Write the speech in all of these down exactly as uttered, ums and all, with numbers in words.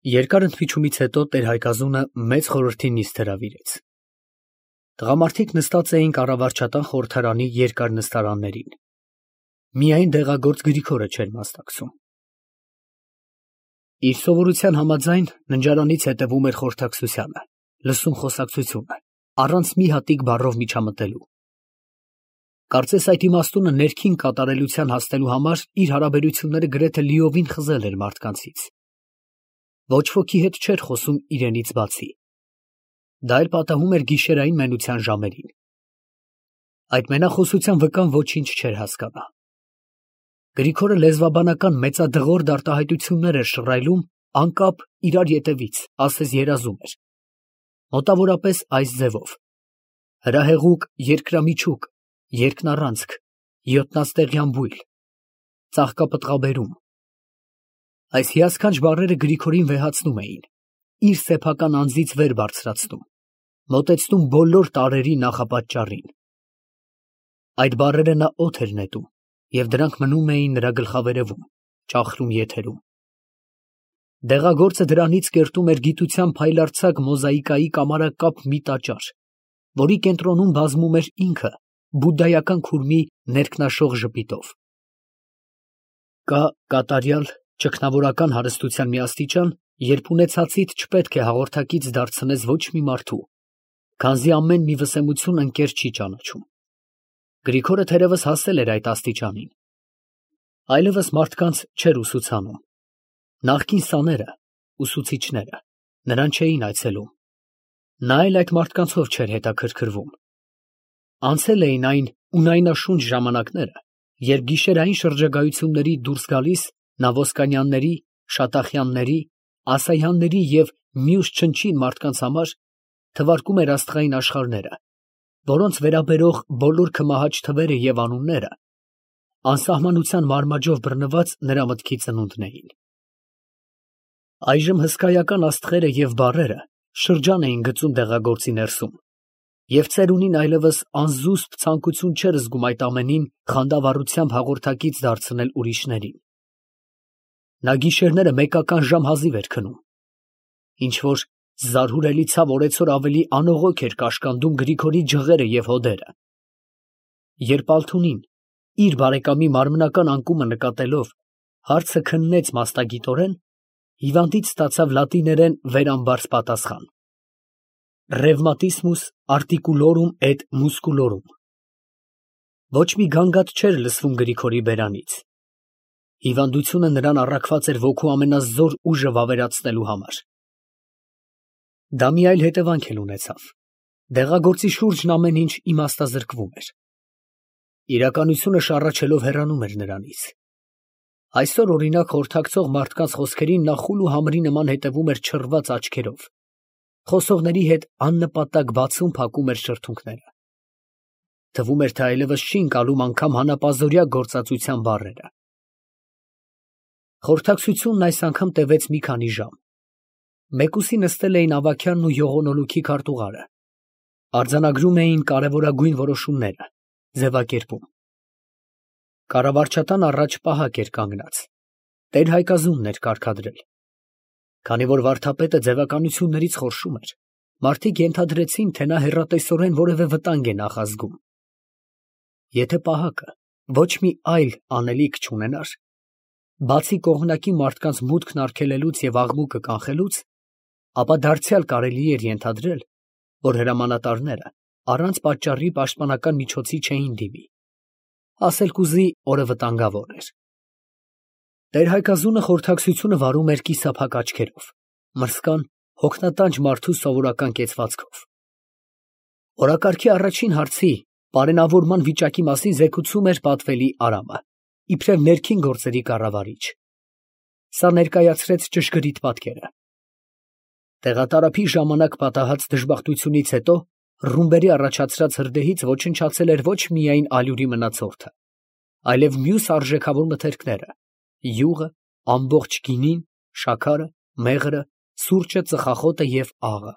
Երկար ընդմիջումից հետո տեր-Հայկազունը մեծ խորհրդի նիստ հրավիրեց։ Տղամարդիկ նստած էին կառավարչական խորհրդարանի երկար նստարաններին։ Միայն դեղագործ Գրիգորը չէր մասնակցում։ Իր սովորության համաձայն ննջարանից հետևում էր խորհրդակցությանը, լսում խոսակցությունը, առանց մի հատիկ բառով միջամտելու։ Կարծես այդ իմաստունը ներքին կատարելության հասնելու համար իր հարաբերությունները գրեթե լիովին խզել էր մարդկանցից։ Ոչ ոքի հետ չէր խոսում իրենից բացի։ Դա էլ պատահում էր գիշերային մենության ժամերին։ Այդ մենախոսության վկան ոչինչ չէր հասկանա։ Գրիգորը լեզվաբանական մեծադղրդ արտահայտություններ էր շռայլում անկապ իրար ետևից, ասես երազում էր։ Մոտավորապես այս ձևով. հրահեղուկ երկրամիջուկ, երկնառանցք, յոթնածտեղյան բույլ, ծաղկապտղաբերում։ Այս հիասքանչ բառերը Գրիգորին վեհացնում էին, իր սեփական անձից վեր բարձրացնում, մոտեցնում բոլոր տարրերի նախապատճառին։ Այդ բառերը նա օդ էր նետում, և դրանք մնում էին նրա գլխավերևում, ճախլում եթերում։ Դեղագործը դրանից կերտում էր գիտության փայլարձակ մոզաիկայի կամարակապ մի տաճար, որի կենտրոնում բազմում էր ինքը բուդդայական քուրմի ներքնաշող ժպիտով։ Կա կատարյալ ճգնավորական հարստության մի աստիճան, երբ ունեցածիդ չպետք է հաղորդակից դարձնես ոչ մի մարդու, քանզի ամեն մի վսեմություն ընկեր չի ճանաչում։ Գրիգորը թերևս հասել էր այդ աստիճանին։ Այլևս մարդկանց չէր ուսուցանում։ Նախկին սաները, ուսուցիչները, նրան չէին այցելում։ Նա էլ այդ մարդկանցով չէր հետաքրքրվում։ Անցել էին այն ունայնաշունչ ժամանակները, երբ գիշերային շրջագայությունների դուրս գալիս նա Ոսկանյանների, Շատախյանների, Ասայանների և մյուս չնչին մարդկանց համար թվարկում էր աստղային աշխարհները, որոնց վերաբերող բոլոր քմահաճ թվերը և անունները անսահմանության մարմաջով բռնված նրա մտքի ծնունդն էին։ Այժմ հսկայական աստղերը և բառերը շրջան էին գծում դեղագործի ներսում, և ծերունին այլևս անզուսպ ցանկություն չէր զգում այդ ամենին խանդավառությամբ հաղորդակից դարձնել ուրիշներին։ Նա գիշերները մեկական ժամ հազիվ էր քնում։ Ինչ֊որ զարհուրելի ցավ օրեցօր ավելի անողոք էր կաշկանդում Գրիգորի ջղերը և հոդերը։ Երբ Ալթունին, իր բարեկամի մարմնական անկումը նկատելով, հարցը քննեց մասնագիտորեն, հիվանդից ստացավ լատիներեն վերամբարձ պատասխան. Ռևմատիսմուս արտիկուլորում էտ մուսկուլորում։ Ոչ մի գանգատ չէր լսվում Գրիգորի բերանից։ Հիվանդությունը նրան առաքված էր ոգու ամենազոր ուժը վավերացնելու համար։ Դա մի այլ հետևանք էլ ունեցավ. դեղագործի շուրջն ամեն ինչ իմաստազրկվում էր։ Իրականությունը շառաչելով հեռանում էր նրանից։ Այսօր, օրինակ, խորհրդակցող մարդկանց խոսքերին նա խուլ ու համրի նման հետևում էր չռված աչքերով, խոսողների հետ աննպատակ բացում֊փակում էր շրթունքները։ Թվում էր, թե այլևս չի ընկալում անգամ հանապազօրյա գործածության բառերը։ Խորհրդակցությունն այս անգամ տևեց մի քանի ժամ։ Մեկուսի նստել էին Ավագյանն ու Յողոնոլուքի քարտուղարը, արձանագրում էին կարևորագույն որոշումները, ձևակերպում։ Կառավարչատան առաջ պահակ էր կանգնած, տեր֊Հայկազունն էր կարգադրել։ Քանի որ վարդապետը ձևականություններից խորշում էր, մարդիկ ենթադրեցին, թե նա հեռատեսորեն որևէ վտանգ է նախազգում։ Եթե պահակը ոչ մի այլ անելիք չունենար, բացի կողմնակի մարդկանց մուտքն արգելելուց և աղմուկը կանխելուց, ապա դարձյալ կարելի էր ենթադրել, որ հրամանատարները առանց պատճառի պաշտպանական միջոցի չէին դիմի, ասել կուզի օրը վտանգավոր էր։ Տեր֊Հայկազունը խորհրդակցությունը վարում էր կիսափակ աչքերով, մրսկան, հոգնատանջ մարդու սովորական կեցվածքով։ Օրակարգի առաջին հարցի պարենավորման վիճակի մասին զեկուցում էր պատվելի Արամը, իբրև ներքին գործերի կառավարիչ։ Սա ներկայացրեց ճշգրիտ պատկերը։ Տեղատարափի ժամանակ պատահած դժբախտությունից հետո ռումբերի առաջացրած հրդեհից ոչնչացել էր ոչ միայն ալյուրի մնացորդը, այլև մյուս արժեքավոր մթերքները՝ յուղը, ամբողջ գինին, շաքարը, մեղրը, սուրճը, ծխախոտը և աղը։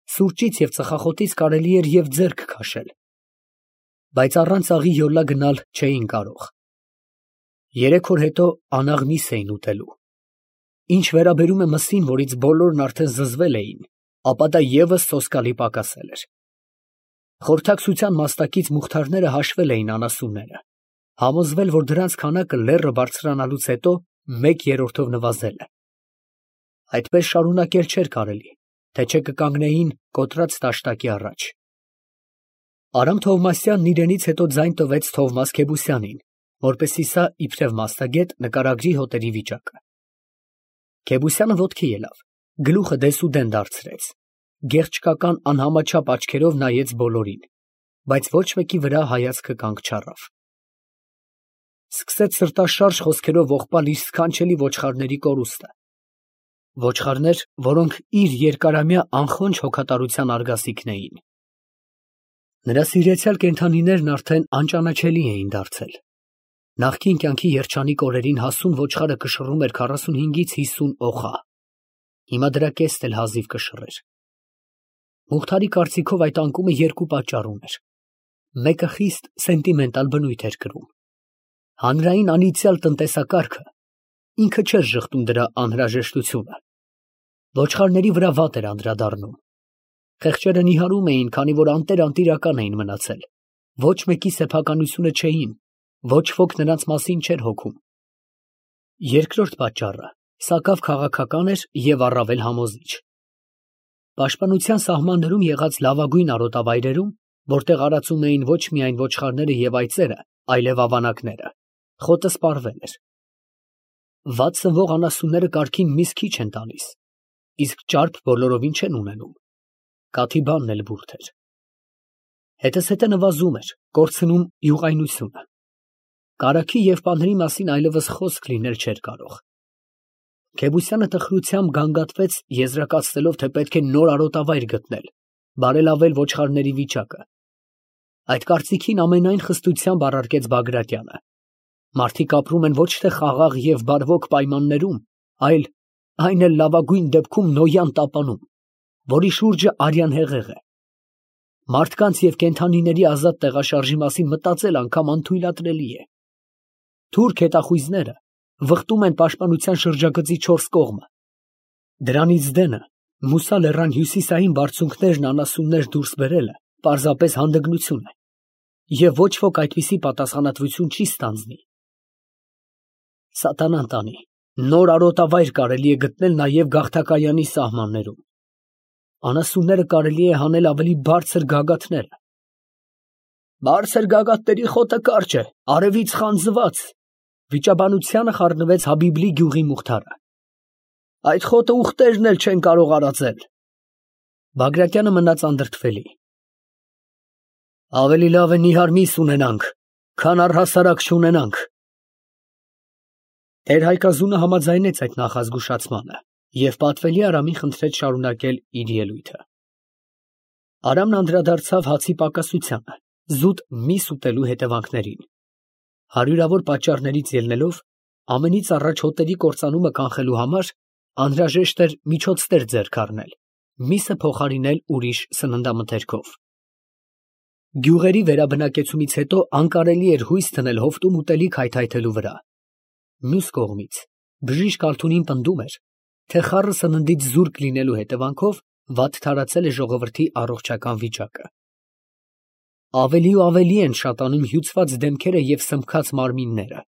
Սուրճից և ծխախոտից կարելի էր և ձեռք քաշել, բայց առանց աղի յոլա գնալ չէին կարող։ Երեք օր հետո անաղ միս էին ուտելու։ Ինչ վերաբերում է մսին, որից բոլորն արդեն զզվել էին, ապա դա ևս սոսկալի պակասել էր։ Խորհրդակցության մաստակից Մուխթարները հաշվել էին անասունները, համոզվել, որ դրանց քանակը լեռը բարձրանալուց հետո մեկ երրորդով նվազել է։ Այդպես շարունակել չէր կարելի, թե չէ կկանգնեին կոտրած տաշտակի առաջ։ Արամ Թովմասյանն իրենից հետո ձայն տվեց Թովմաս Քեբուսյանին, որպեսզի սա իբրև մասնագետ նկարագրի հոտերի վիճակը։ Քեբուսյանը ոտքի ելավ, գլուխը դեսուդեն դարձրեց, գեղչկական անհամաչափ աչքերով նայեց բոլորին, բայց ոչ մեկի վրա հայացքը կանգ չառավ։ Սկսեց սրտաշարժ խոսքերով ողբալ իր սքանչելի ոչխարների կորուստը։ Ոչխարներ, որոնք իր երկարամյա անխոնջ հոգատարության արգասիքն էին։ Նրա սիրեցյալ կենդանիներն արդեն անճանաչելի էին դարձել։ Նախկին կյանքի երջանիկ օրերին հասուն ոչխարը կշռում էր քառասունհինգից հիսուն օխա։ Հիմա դրա կեսն էլ հազիվ կշռեր։ Մուխթարի կարծիքով այդ անկումը երկու պատճառ ուներ։ Մեկը խիստ սենտիմենտալ բնույթ էր կրում։ Հանրային անիծյալ տնտեսակարգը ինքը չէր ժխտում դրա անհրաժեշտությունը։ Ոչխարների վրա վատ էր անդրադառնում։ Խեղճերը նիհարում էին, քանի որ անտեր-անտիրական էին մնացել։ Ոչ մեկի սեփականությունը չէին, ոչ ոք նրանց մասին չէր հոգում։ Երկրորդ պատճառը սակավ քաղաքական էր և առավել համոզիչ։ Պաշտպանության սահմաններում եղած լավագույն արոտավայրերում, որտեղ արածում էին ոչ միայն ոչխարները և այծերը, այլև ավանակները, խոտը սպառվել էր։ Վատ սնվող անասունները կարգին միս քիչ են տալիս, իսկ ճարպ բոլորովին չեն ունենում։ Կաթիբանն էլ բուրդ էր։ Հետզհետե նվազում էր, կորցնում յուղայնությունը։ Կարագի և պանրի մասին այլևս խոսք լինել չէր կարող։ Քեբուսյանը տխրությամբ գանգատվեց, եզրակացնելով, թե պետք է նոր արոտավայր գտնել, բարելավել ոչխարների վիճակը։ Այդ կարծիքին ամենայն խստությամբ առարկեց Բագրատյանը։ Մարդիկ ապրում են ոչ թե խաղաղ և բարվոք պայմաններում, այլ այն էլ լավագույն դեպքում Նոյան տապանում, որի շուրջը արյան հեղեղ է։ Մարդկանց և կենդանիների ազատ տեղաշարժի մասին մտածել անգամ անթույլատրելի է։ Թուրք հետախույզները վխտում են պաշտպանության շրջագծի չորս կողմը։ Դրանից դենը Մուսա լեռան հյուսիսային բարձունքներն անասուններ դուրս բերելը պարզապես հանդգնություն է, և ոչ ոք այդպիսի պատասխանատվություն չի ստանձնի։ Սատանան տանի, նոր արոտավայր կարելի է գտնել նաև Գաղթակայանի սահմաններում։ Անասունները կարելի է հանել ավելի բարձր գագաթները։ Բարձր գագաթների խոտը կարճ է, արևից խանձված, վիճաբանությանը խառնվեց Հաբիբլի գյուղի Մուխթարը։ Այդ խոտը ուղտերն էլ չեն կարող արածել։ Բագրատյանը մնաց անդրդվելի։ Ավելի լավ է նիհար միս ունենանք, քան առհասարակ չունենանք։ Տեր֊Հայկազունը համաձայնեց այդ նախազգուշացմանը և պատվելի Արամին խնդրեց շարունակել իր ելույթը։ Արամն անդրադարձավ հացի պակասությանը, զուտ միս ուտելու հետևանքներին։ Հարյուրավոր պատճառներից ելնելով, ամենից առաջ հոտերի կործանումը կանխելու համար անհրաժեշտ էր միջոցներ ձեռք առնել, միսը փոխարինել ուրիշ սննդամթերքով։ Գյուղերի վերաբնակեցումից հետո անկարելի էր հույս դնել հովտում ուտելիք հայթայթելու վրա։ Մյուս կողմից, բժիշկ Ալթունին պնդում էր, թե խառը սննդից զուրկ լինելու հետևանքով վատ թարացել է ժողովրդի առողջական վիճակը։ Ավելի ու ավելի են շատանում հյուծված դեմքերը և սմբքած մարմինները։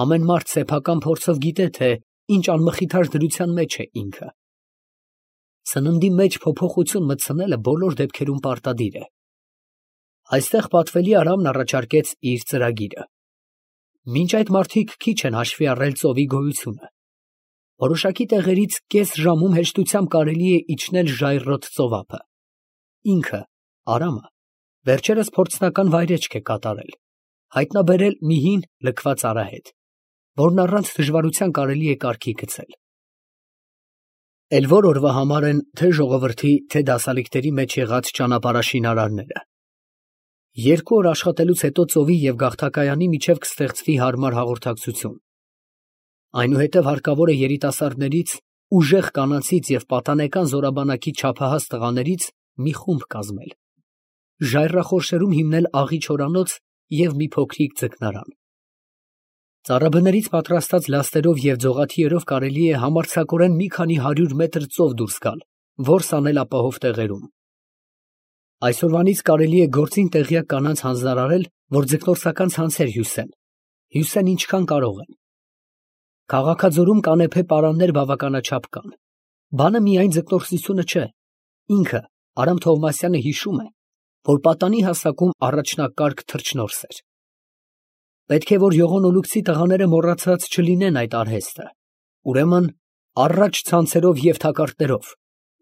Ամեն մարդ սեփական փորձով գիտե, թե ինչ անմխիթար դրության մեջ է ինքը։ Սննդի մեջ փոփոխություն մտցնելը բոլոր դեպքերում պարտադիր է։ Այստեղ պատվելի Արամն առաջարկեց իր ծրագիրը։ Մինչ այդ մարդիկ քիչ են հաշվի առել ծովի գոյությունը։ Որոշակի տեղերից կես ժամում հեշտությամբ կարելի է իջնել ժայռոտ ծովափը։ Ինքը, Արամը, վերջերս փորձնական վայրեջք է կատարել, հայտնաբերել մի հին լքված արահետ, որն առանց դժվարության կարելի է կարգի գցել։ Էլ որ օրվա համար են թե ժողովրդի, թե դասալիկների մեջ եղած ճանապարհաշինարարները։ Երկու օր աշխատելուց հետո ծովի և Գաղթակայանի միջև կստեղծվի հարմար հաղորդակցություն։ Այնուհետև հարկավոր է երիտասարդներից, ուժեղ կանանցից և պատանեկան զորաբանակի չափահաս տղաներից մի խումբ կազմել, ժայռախորշերում հիմնել աղի չորանոց և մի փոքրիկ ձկնարան։ Ծառաբներից պատրաստած լաստերով և ձողաթիերով կարելի է համարձակորեն մի քանի հարյուր մետր ծով դուրս գալ, որս անել ապահով տեղերում։ Այսօրվանից կարելի է գործին տեղյակ կանանց հանձնարարել, որ ձկնորսական ցանցեր հյուսեն, հյուսեն ինչքան կարող են։ Քաղաքաձորում կանեփե պարաններ բավականաչափ կան։ Բանը միայն ձկնորսությունը չէ, ինքը Արամ Թովմասյանը հիշում է, որ պատանի հասակում առաջնակարգ թռչնորս էր։ Պետք է, որ Յողոն Օլուքցի տղաները մոռացած չլինեն այդ արհեստը, ուրեմն առաջ ցանցերով և թակարդներով,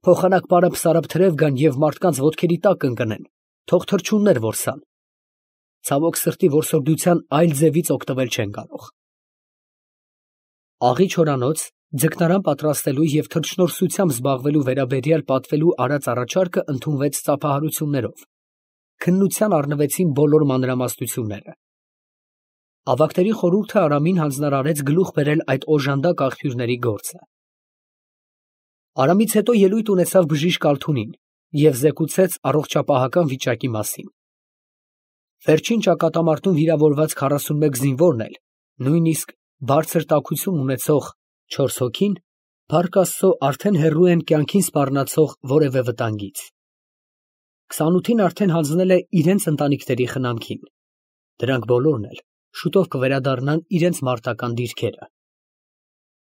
փոխանակ պարապ-սարապ թրև գան և մարդկանց ոտքերի տակ ընկնեն, թող թռչուններ որսան։ Ցավոք սրտի որսորդության այլ ձևից օգտվել չեն կարող։ Աղի չորանոց ձկնարան պատրաստելու և թռչնորսությամբ զբաղվելու վերաբերյալ պատվելու արած առաջարկը ընդունվեց ծափահարություններով, քննության առնվեցին բոլոր մանրամասնությունները։ Ավագների խորհուրդը Արամին հանձնարարեց գլուխ բերել այդ օժանդակ աղբյուրների գործը։ Արամից հետո ելույթ ունեցավ բժիշկ Ալթունին և զեկուցեց առողջապահական վիճակի մասին։ Վերջին ճակատամարտում վիրավորված քառասունմեկ զինվորն էլ, նույնիսկ բարձր տաքություն ունեցող չորս հոգին, փառք Աստծո, արդեն հեռու են կյանքին սպառնացող որևէ վտանգից։ Քսանութին արդեն հանձնել է իրենց ընտանիքների խնամքին։ Դրանք բոլորն էլ շուտով կվերադառնան իրենց մարտական դիրքերը։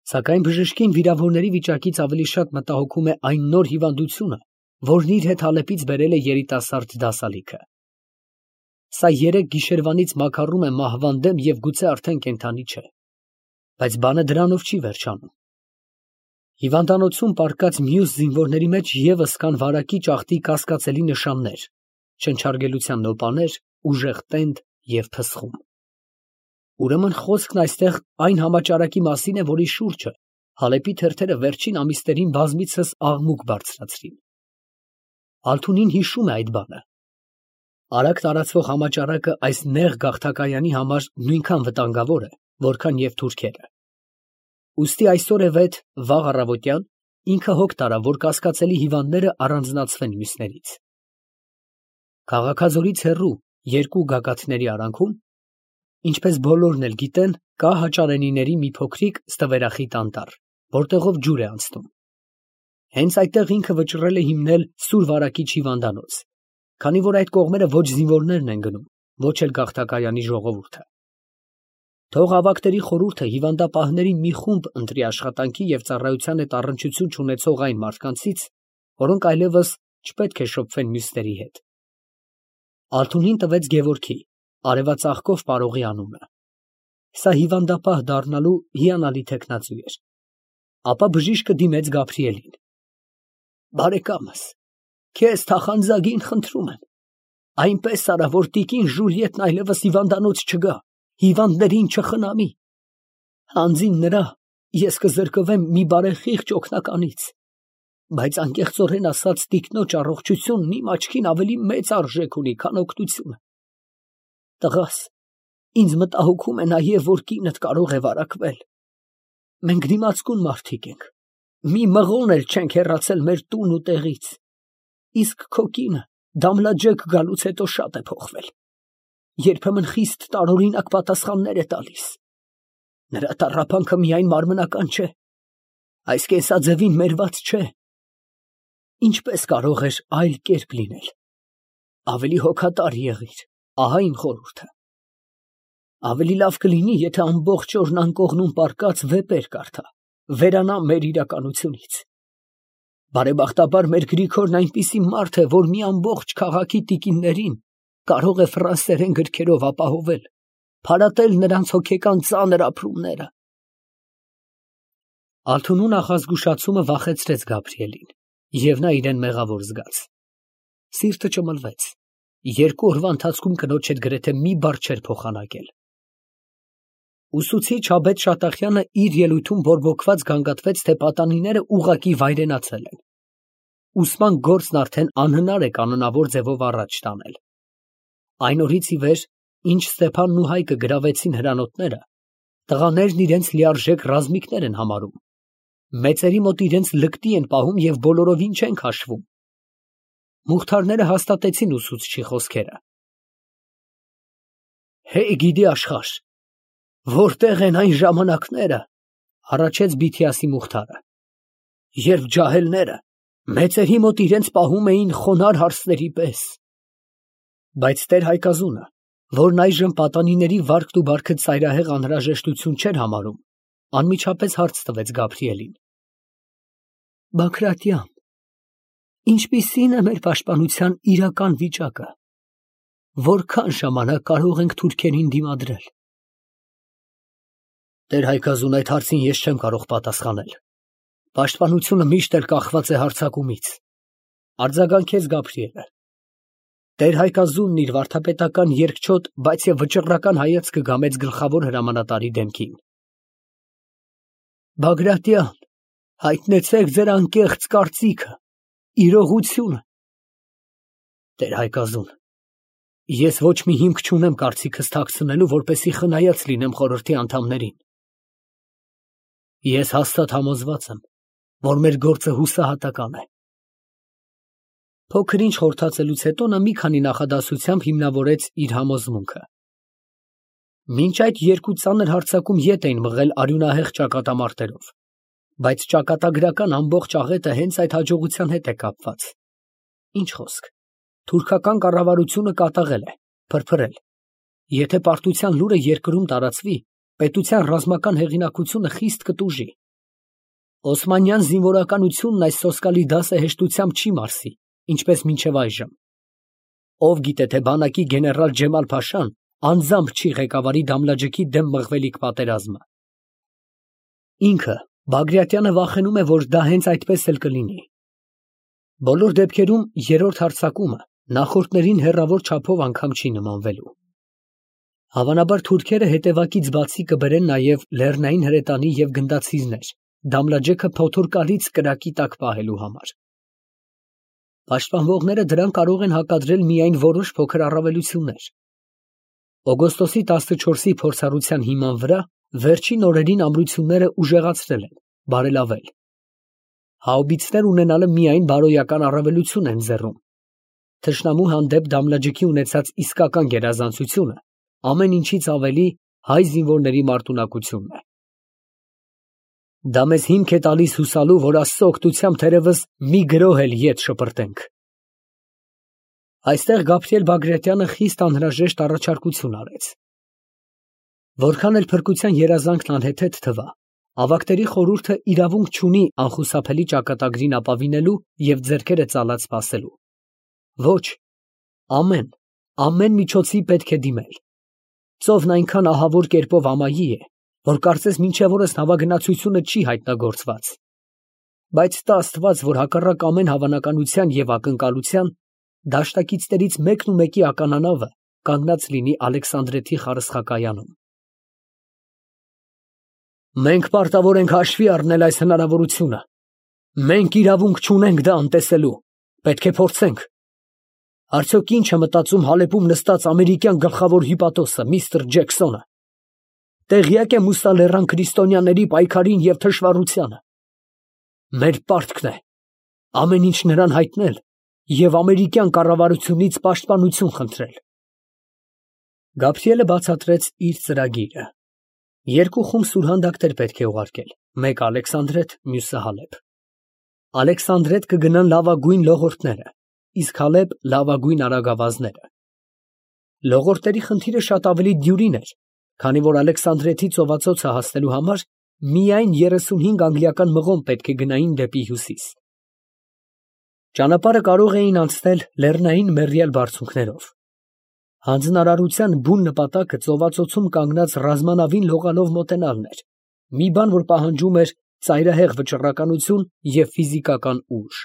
Սակայն բժշկին վիրավորների վիճակից ավելի շատ մտահոգում է այն նոր հիվանդությունը, որն իր հետ Ալեպից բերել է երիտասարդ դասալիքը։ Սա երեք գիշերվանից մաքարում է մահվան դեմ և գուցե արդեն կենդանի չէ։ Բայց բանը դրանով չի վերջանում։ Հիվանդանոցում պառկած մյուս զինվորների մեջ ևս կան վարակիչ աղտի կասկածելի նշաններ, շնչարգելության նոպաներ, ուժեղ տենդ և փսխում։ Ուրեմն խոսքն այստեղ այն համաճարակի մասին է, որի շուրջը Հալեպի թերթերը վերջին ամիսներին բազմիցս աղմուկ բարձրացրին։ Ալթունին հիշում է այդ բանը։ Արագ տարածվող համաճարակը այս նեղ գաղթակայանի համար նույնքան վտանգավոր է, որքան և թուրքերը։ Ուստի այսօրևեթ վաղ առավոտյան ինքը հոգ տարավ, որ կասկածելի հիվանդները առանձնացվեն մյուսներից։ Քաղաքաձորից հեռու երկու գագաթների արանքում, ինչպես բոլորն էլ գիտեն, կա հաճարենիների մի փոքրիկ ստվերախիտ անտառ, որտեղով ջուր է անցնում։ Հենց այդտեղ ինքը վճռել է հիմնել սուր վարակիչ հիվանդանոց, քանի որ այդ կողմերը ոչ զինվորներն են գնում, ոչ էլ գաղթակայանի ժողովուրդը։ Թող ավագների խորհուրդը հիվանդապահներին մի խումբ ընտրի աշխատանքի և ծառայության հետ առնչություն չունեցող այն մարդկանցից, որոնք այլևս չպետք է շփվեն մյուսների հետ։ Ալթունին տվեց Գևորգի, արևածաղկով պարողի անունը։ Սա հիվանդապահ դառնալու հիանալի թեկնածու էր։ Ապա բժիշկը դիմեց Գաբրիելին։ Բարեկամս, քեզ թախանձագին խնդրում եմ, այնպես արա, որ տիկին Ժուլիետն այլևս հիվանդանոց չգա, հիվանդներին չխնամի։ Հանձին նրա ես կզրկվեմ մի բարեխիղճ օգնականից, բայց անկեղծորեն ասած տիկնոջ առողջությունն իմ աչքին ավելի մեծ արժեք ունի, քան օգնությունը։ Տղաս, ինձ մտահոգում է նաև, որ կինդ կարող է վարակվել։ Մենք դիմացկուն մարդիկ ենք, մի մղոն էլ չենք հեռացել մեր տուն ու տեղից, իսկ քո կինը Դամլաջեկ գալուց հետո շատ է փոխվել, երբեմն խիստ տարօրինակ պատասխաններ է տալիս։ Նրա տառապանքը միայն մարմնական չէ, այս կենսաձևին մերված չէ։ Ինչպես կարող էր այլ կերպ լինել։ Ավելի հոգատար եղիր, ահա իմ խորհուրդը։ Ավելի լավ կլինի, եթե ամբողջ օրն անկողնում պառկած վեպեր կարդա, վերանա մեր իրականությունից։ Բարեբախտաբար մեր Գրիգորն այնպիսի մարդ է, որ մի ամբողջ քաղաքի տիկիններին կարող է ֆրանսերեն գրքերով ապահովել, փարատել նրանց հոգեկան ծանր ապրումները։ Ալթունու նախազգուշացումը վախեցրեց Գաբրիելին, և նա իրեն մեղավոր զգաց։ Սիրտը ճմլվեց։ Երկու օրվա ընթացքում կնոջ հետ գրեթե մի բառ չէր փոխանակել։ Ուսուցիչ Աբեթ Շատախյանը իր ելույթում բորբոքված գանգատվեց, թե պատանիները ուղղակի վայրենացել են։ Ուսման գործն արդեն անհնար է կանոնավոր ձևով առաջ տանել։ Այն օրից ի վեր, ինչ Ստեփանն ու Հայկը գրավեցին հրանոթները, տղաներն իրենց լիարժեք ռազմիկներ են համարում, մեծերի մոտ իրենց լկտի են պահում և բոլորովին չեն քաշվում։ Մուղթարները հաստատեցին ուսուցչի խոսքերը։ Հե, գիդի աշխարհ, Որտեղ են այն ժամանակները, հառաչեց Բիթիասի Մուխթարը, երբ ջահելները մեծերի մոտ իրենց պահում էին խոնարհ հարսների պես։ Բայց Տեր Հայկազունը, որն այժմ պատանիների վարքն ու բարքը ծայրահեղ անհրաժեշտություն չէր համարում, անմիջապես հարց տվեց Գաբրիելին. Բագրատյան, ինչպիսի՞ն է մեր պաշտպանության իրական վիճակը, որքան ժամանակ կարող ենք թուրքերին դիմադրել։ Տեր Հայկազուն, այդ հարցին ես չեմ կարող պատասխանել։ Պաշտպանությունը միշտ էլ կախված է հարձակումից, արձագանքեց Գաբրիելը։ Տեր Հայկազունն իր վարդապետական երկչոտ, բայց եւ վճռական հայացքը գամեց գլխավոր հրամանատարի դեմքին։ Բագրատյան, հայտնեցեք ձեր անկեղծ կարծիքը, իրողությունը։ Տեր Հայկազուն, ես ոչ մի հիմք չունեմ կարծիքս թաքցնելու, որպեսզի խնայած լինեմ խորհրդի անդամներին։ Ես հաստատ համոզված եմ, որ մեր գործը հուսահատական է։ Փոքր ինչ խորհրդացելուց հետո նա մի քանի նախադասությամբ հիմնավորեց իր համոզմունքը։ Մինչ այդ երկու ծանր հարձակում ետ էին մղել արյունահեղ ճակատամարտերով, բայց ճակատագրական ամբողջ աղետը հենց այդ հաջողության հետ է կապված։ Ինչ խոսք, թուրքական կառավարությունը կատաղել է, փրփրել։ Եթե պարտության լուրը երկրում տարածվի, պետության ռազմական հեղինակությունը խիստ կտուժի։ Օսմանյան զինվորականությունն այս սոսկալի դասը հեշտությամբ չի մարսի, ինչպես մինչև այժմ։ Ով գիտե, թե բանակի գեներալ Ջեմալ Փաշան անձամբ չի ղեկավարի Դամլաջեքի դեմ մղվելիք պատերազմը։ Ինքը, Բագրատյանը, վախենում է, որ դա հենց այդպես էլ կլինի։ Բոլոր դեպքերում երրորդ հարձակումը նախորդներին հեռավոր չափով անգամ չի նմանվելու։ Հավանաբար թուրքերը հետևակից բացի կբերեն նաև լեռնային հրետանի և գնդացիզներ, Դամլաջեքը փոթորկալից կրակի տակ պահելու համար։ Պաշտպանվողները դրան կարող են հակադրել միայն որոշ փոքր առավելություններ։ Օգոստոսի տասնչորսի փորձառության հիման վրա վերջին օրերին ամրությունները ուժեղացրել են, բարելավել։ Հաուբիցներ ունենալը միայն բարոյական առավելություն են ձեռում։ Թշնամու հանդեպ Դամլաջեքի ունեցած իսկական գերազանցությունը ամեն ինչից ավելի հայ զինվորների մարտունակությունն է։ Դա մեզ հիմք է տալիս հուսալու, որ Աստծո օգնությամբ թերևս մի գրոհ էլ ետ շպրտենք։ Այստեղ Գաբրիել Բագրատյանը խիստ անհրաժեշտ առաջարկություն արեց։ Որքան էլ փրկության երազանքն անհեթեթ թվա, ավակտերի խորհուրդը իրավունք չունի անխուսափելի ճակատագրին ապավինելու և ձեռքերը ծալած սպասելու։ Ոչ, ամեն, ամեն միջոցի պետք է դիմել։ Ծովն այնքան ահավոր կերպով ամայի է, որ կարծես մինչև օրս նավագնացությունը չի հայտնագործված։ Բայց տա Աստված, որ հակառակ ամեն հավանականության և ակնկալության, դաշտակիցներից մեկն ու մեկի ականանավը կանգնած լինի Ալեքսանդրեթի խարսխակայանում։ Մենք պարտավոր ենք հաշվի առնել այս հնարավորությունը։ Մենք իրավունք չունենք դա անտեսելու, պետք է փորձենք։ Արդյոք ինչ է մտածում Հալեպում նստած ամերիկյան գլխավոր հիպատոսը, միստր Ջեքսոնը։ Տեղյակ է մուսալեռան քրիստոնյաների պայքարին և թշվառությանը։ Մեր պարտքն է ամեն ինչ նրան հայտնել և ամերիկյան կառավարությունից պաշտպանություն խնդրել։ Գաբրիելը բացատրեց իր ծրագիրը։ Երկու խումբ սուրհանդակներ պետք է ուղարկել, մեկը Ալեքսանդրետ, մյուսը Հալեբ։ Ալեքսանդրետ կգնան լավագույն լողորդները, իսկ Հալեբ լավագույն արագավազները։ Լողորդների խնդիրը շատ ավելի դյուրին էր, քանի որ Ալեքսանդրեթի ծովածոցը հասնելու համար միայն երեսունհինգ անգլիական մղոն պետք է գնային դեպի հյուսիս։ Ճանապարհը կարող էին անցնել լեռնային մեռյալ բարձունքներով։ Հանձնարարության բուն նպատակը ծովածոցում կանգնած ռազմանավին լողալով մոտենալն էր, մի բան, որ պահանջում էր ծայրահեղ վճռականություն և ֆիզիկական ուժ։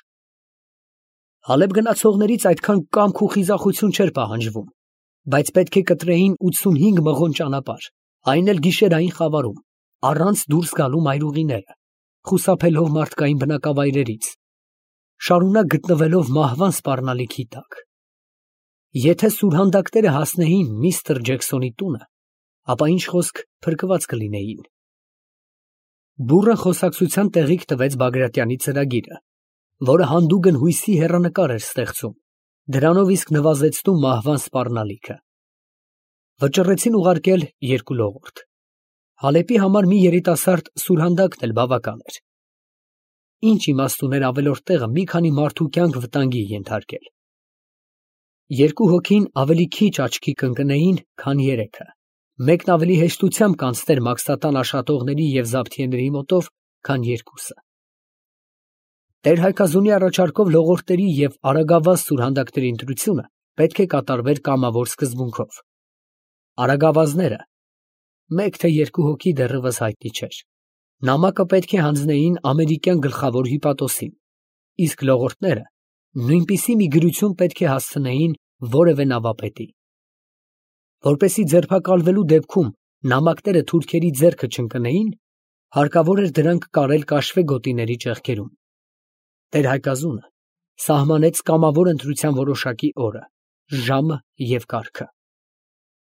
Հալեբ գնացողներից այդքան կամք ու խիզախություն չէր պահանջվում, բայց պետք է կտրեին ութսունհինգ մղոն ճանապարհ, այն էլ գիշերային խավարում, առանց դուրս գալու մայրուղիները, խուսափելով մարդկային բնակավայրերից, շարունակ գտնվելով մահվան սպառնալիքի տակ։ Եթե սուրհանդակները հասնեին միստր Ջեքսոնի տունը, ապա ինչ խոսք փրկված կլինեին։ Բուռն խոսակցության տեղիք տվեց Բագրատյանի ծրագիրը, որը հանդուգն հույսի հեռանկար էր ստեղծում, դրանով իսկ նվազեցնում մահվան սպառնալիքը։ Վճռեցին ուղարկել երկու լողորդ։ Հալեպի համար մի երիտասարդ սուրհանդակն էլ բավական էր։ Ինչ իմաստ ուներ ավելորդ տեղը մի քանի մարդու կյանք վտանգի ենթարկել։ Երկու հոգին ավելի քիչ աչքի կընկնեին, քան երեքը, մեկն ավելի հեշտությամբ կանցներ մաքսատան աշատողների և զաբթիեների մոտով, քան երկուսը։ Տեր-Հայկազունի առաջարկով լողորդերի և արագավազ սուրհանդակների ընտրությունը պետք է կատարվեր կամավոր սկզբունքով։ Արագավազները մեկ թե երկու հոգի դեռևս հայտնի չէր, նամակը պետք է հանձնեին ամերիկյան գլխավոր հյուպատոսին, իսկ լողորդները նույնպիսի մի գրություն պետք է հասցնեին որևէ նավապետի։ Որպեսզի ձերբակալվելու դեպքում նամակները թուրքերի ձեռքը չընկնեին, հարկավոր էր դրանք կարել կաշվե գոտիների ճեղքերում։ Տեր-Հայկազունը սահմանեց կամավոր ընտրության որոշակի օրը, ժամը և կարգը։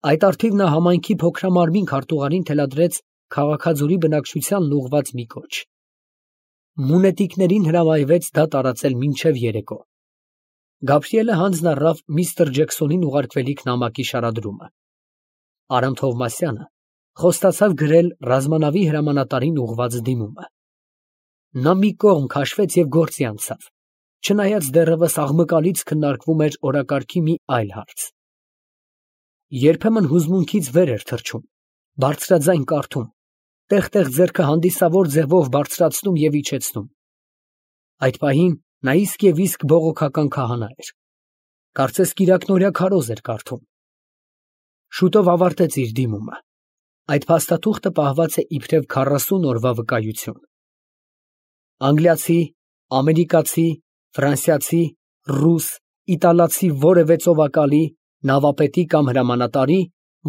Այդ առթիվ նա համայնքի փոքրամարմին քարտուղարին թելադրեց քաղաքաձորի բնակչությանն ուղղված մի կոչ։ Մունետիկներին հրամայվեց դա տարածել մինչև երեկո։ Գաբրիելը հանձն առավ միստր Ջեքսոնին ուղարկվելիք նամակի շարադրումը։ Արամ Թովմասյանը խոստացավ գրել ռազմանավի հրամանատարին ուղղված դիմումը։ Նա մի կողմ քաշվեց և գործի անցավ, չնայած դեռևս աղմկալից քննարկվում էր օրակարգի մի այլ հարց։ Երբեմն հուզմունքից վեր էր թռչում, բարձրաձայն կարդում, տեղ֊տեղ ձեռքը հանդիսավոր ձևով բարձրացնում և իջեցնում։ Այդ պահին նա իսկ և իսկ բողոքական քահանա էր։ Կարծես կիրակնօրյա քարոզ էր կարդում։ Շուտով ավարտեց իր դիմումը։ Այդ փաստաթուղթը պահված է իբրև քառասուն օրվա վկայություն։ Անգլիացի, ամերիկացի, ֆրանսիացի, ռուս, իտալացի որևէ ծովակալի, նավապետի կամ հրամանատարի,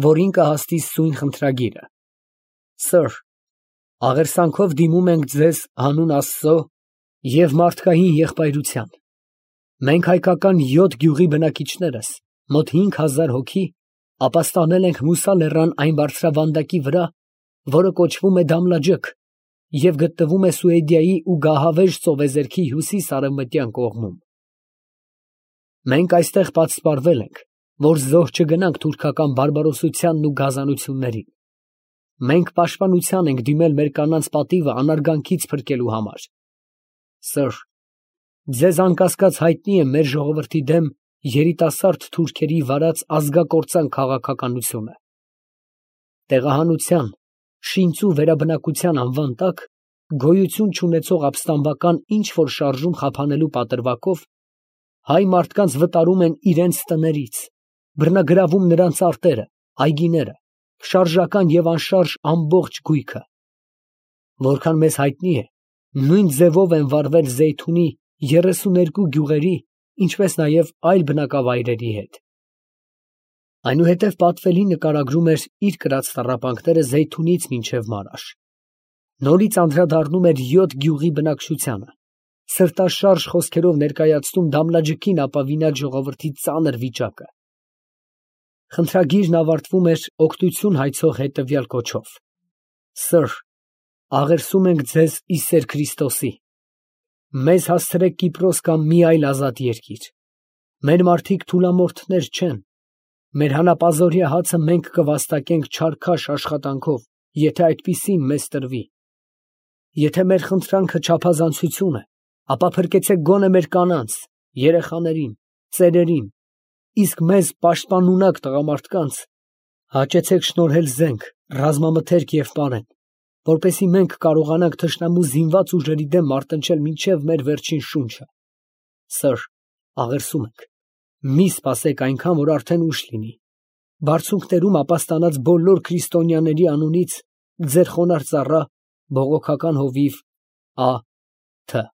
որին կհասցի սույն խնդրագիրը։ Սըր, աղերսանքով դիմում ենք ձեզ հանուն Աստծո և մարդկային եղբայրության։ Մենք հայկական յոթ գյուղի բնակիչներս, մոտ հինգ հազար հոգի, ապաստանել ենք Մուսա լեռան այն բարձրավանդակի վրա, որը կոչվում է Դամլաջք և գտնվում է Սուեդիայի ու Գահավեժ ծովեզերքի հյուսիս֊արևմտյան կողմում։ Մենք այստեղ պատսպարվել ենք, որ զոհ չգնանք թուրքական բարբարոսությանն ու գազանություններին։ Մենք պաշտպանության ենք դիմել մեր կանանց պատիվը անարգանքից փրկելու համար։ Սըր, ձեզ անկասկած հայտնի է մեր ժողովրդի դեմ երիտասարդ թուրքերի վարած ազգակործան քաղաքականությունը։ Տեղահանության, շինծու վերաբնակության անվան տակ գոյություն չունեցող ապստամբական ինչ֊որ շարժում խափանելու պատրվակով հայ մարդկանց վտարում են իրենց տներից, բռնագրավում նրանց արտերը, այգիները, շարժական և անշարժ ամբողջ գույքը։ Որքան մեզ հայտնի է, նույն ձևով են վարվել Զեյթունի երեսուներկու գյուղերի, ինչպես նաև այլ բնակավայրերի հետ։ Այնուհետև պատվելի նկարագրում էր իր կրած տառապանքները Զեյթունից մինչև Մարաշ։ Նորից անդրադառնում էր յոթ գյուղի բնակչությանը, սրտաշարժ խոսքերով ներկայացնում Դամլաջքին ապավինած ժողովրդի ծանր վիճակը։ Խնդրագիրն ավարտվում էր օգնություն հայցող հետևյալ կոչով. Սըր, աղերսում ենք ձեզ ի սեր Քրիստոսի։ Մեզ հասցրեք Կիպրոս կամ մի այլ ազատ երկիր։ Մեր մարդիկ թուլամորթներ չեն։ Մեր հանապազօրյա հացը մենք կվաստակենք չարքաշ աշխատանքով, եթե այդպիսին մեզ տրվի։ Եթե մեր խնդրանքը չափազանցություն է, ապա փրկեցեք գոնե մեր կանանց, երեխաներին, ծերերին, իսկ մեզ պաշտպանունակ տղամարդկանց հաճեցեք շնորհել զենք, ռազմամթերք և պարեն, որպեսզի մենք կարողանանք թշնամու զինված ուժերի դեմ մարտնչել մինչև մեր վերջին շունչը։ Սըր, աղերսում ենք, մի սպասեք այնքան, որ արդեն ուշ լինի։ Բարձունքներում ապաստանած բոլոր քրիստոնյաների անունից ձեր խոնարհ ծառա, բողոքական հովիվ Ա. Թ.